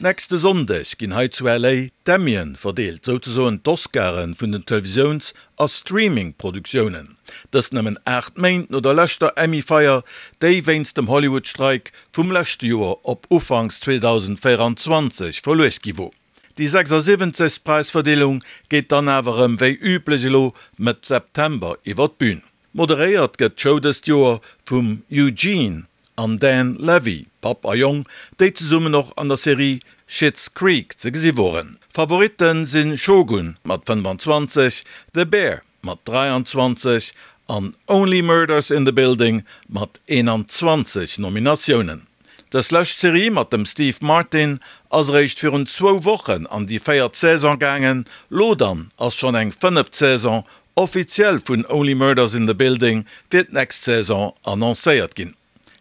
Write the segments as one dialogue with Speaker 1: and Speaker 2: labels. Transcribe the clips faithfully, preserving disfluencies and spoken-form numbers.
Speaker 1: Nächste Sonndeg ginn hei zu L A d'Emmyen verdeelt, souzesoen d'Oscaren vun den Televisiouns- a Streaming-Produktiounen. Dëst nëmmen aacht Méint no der leschter Emmy-Feier, déi wéinst dem Hollywood-Streik vum leschte Joer op ufanks zweedausendvéierenzwanzeg verluecht gi wor. Déi sechsasiwwenzegst Präisverdeelung geet dann awer erëm wéi üblech elo Mëtt September iwwer d'Bün. Moderéiert gëtt d'Show dëst Joer vum Eugene an Dan Levy, Papp a Jong, déi zesummen och an der Serie Schitt's Creek ze gesi woren. Favoritten sinn Shogun mat fënnfanzwanzeg, The Bear mat dräianzwanzeg an Only Murders in the Building mat eenanzwanzeg Nominatiounen. Dës lescht Serie mat dem Steve Martin ass eréischt virun zwou Wochen an déi véiert Saison gaangen, lo dann ass schonn eng fënneft Saison offiziell vun Only Murders in the Building fir d'nächst Saison annoncéiert ginn.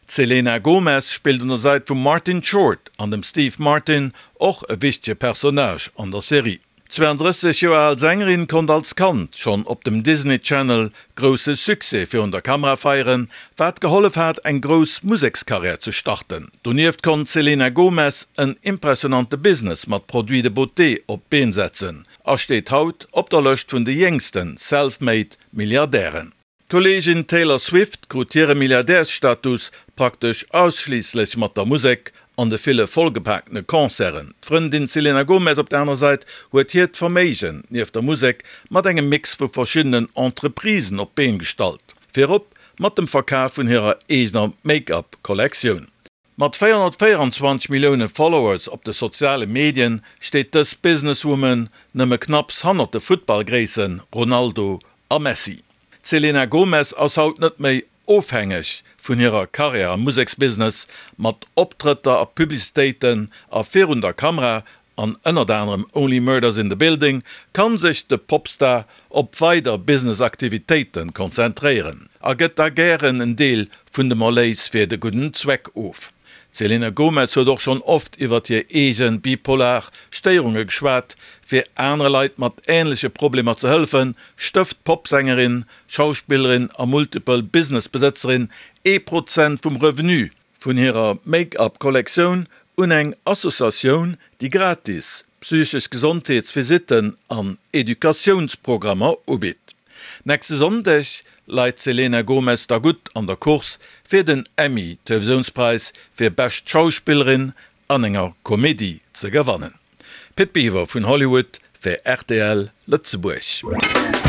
Speaker 1: D'Selena Gomez spillt un der Säit vum Martin Short an dem Steve Martin och e wichtege Personnage an der Serie. D'zweeandrësseg Joer al Sängerin konnt als Kand schonn op dem Disney Channel grousse Succès virun der Kamera feieren, wat gehollef hat eng grouss Musekskarriär ze starten. Donieft konnt d'Selena Gomez en impressionante Business mat Produits de beauté op d'Been setzen a steet haut op der Lëscht vun de jéngste Self-Made Milliardären. D'Kolleegin Taylor Swift krut hire Milliardärsstatus praktesch ausschliisslech mat der Musek an de ville vollgepaakte Concerten. D'Frëndin Selena Gomez op der anerer Säit huet hiert Verméigen nieft der Musek mat engem Mix vu verschiddenen Entreprisen op d'Been gestallt, virop mat dem Verkaf vun hirer eegener Make-up-Kollektioun. Mat véierhonnertvéierenzwanzeg Millioune Followers op de soziale Medien steet dës Businesswoman nëmme knapps hannert de Futtballgréisse Ronaldo a Messi. D'Selena Gomez ass haut net méi ofhängeg vun hirer Karriär am Museksbusiness. Mat Optrëtter a Publicitéiten a virun der Kamera an ënnert anerem Only Murders in the Building kann sech de Popstar op weider Business-Aktivitéite konzentréieren a gëtt da gären en Deel vun dem Erléis fir de gudden Zweck of. D'Selena Gomez huet och schonn oft iwwer hir eege bipolar Stéierunge geschwat. Fir anere Leit mat änleche Problemer ze hëllefen, stëft d'Popsängerin, Schauspillerin a multiple Business-Besëtzerin ee Prozent vum Revenu vun hirer Make-up-Kollektioun un eng Associatioun, déi gratis psychesch Gesondheetsvisitten an Educatiounsprogrammer ubitt. Nächste Sonndeg läit d'Selena Gomez da gutt an der Course fir den Emmy, Televisiounspräis fir bescht Schauspillerin an enger Komedie ze gewannen. Pit Biwer vun Hollywood fir R T L Lëtzebuerg.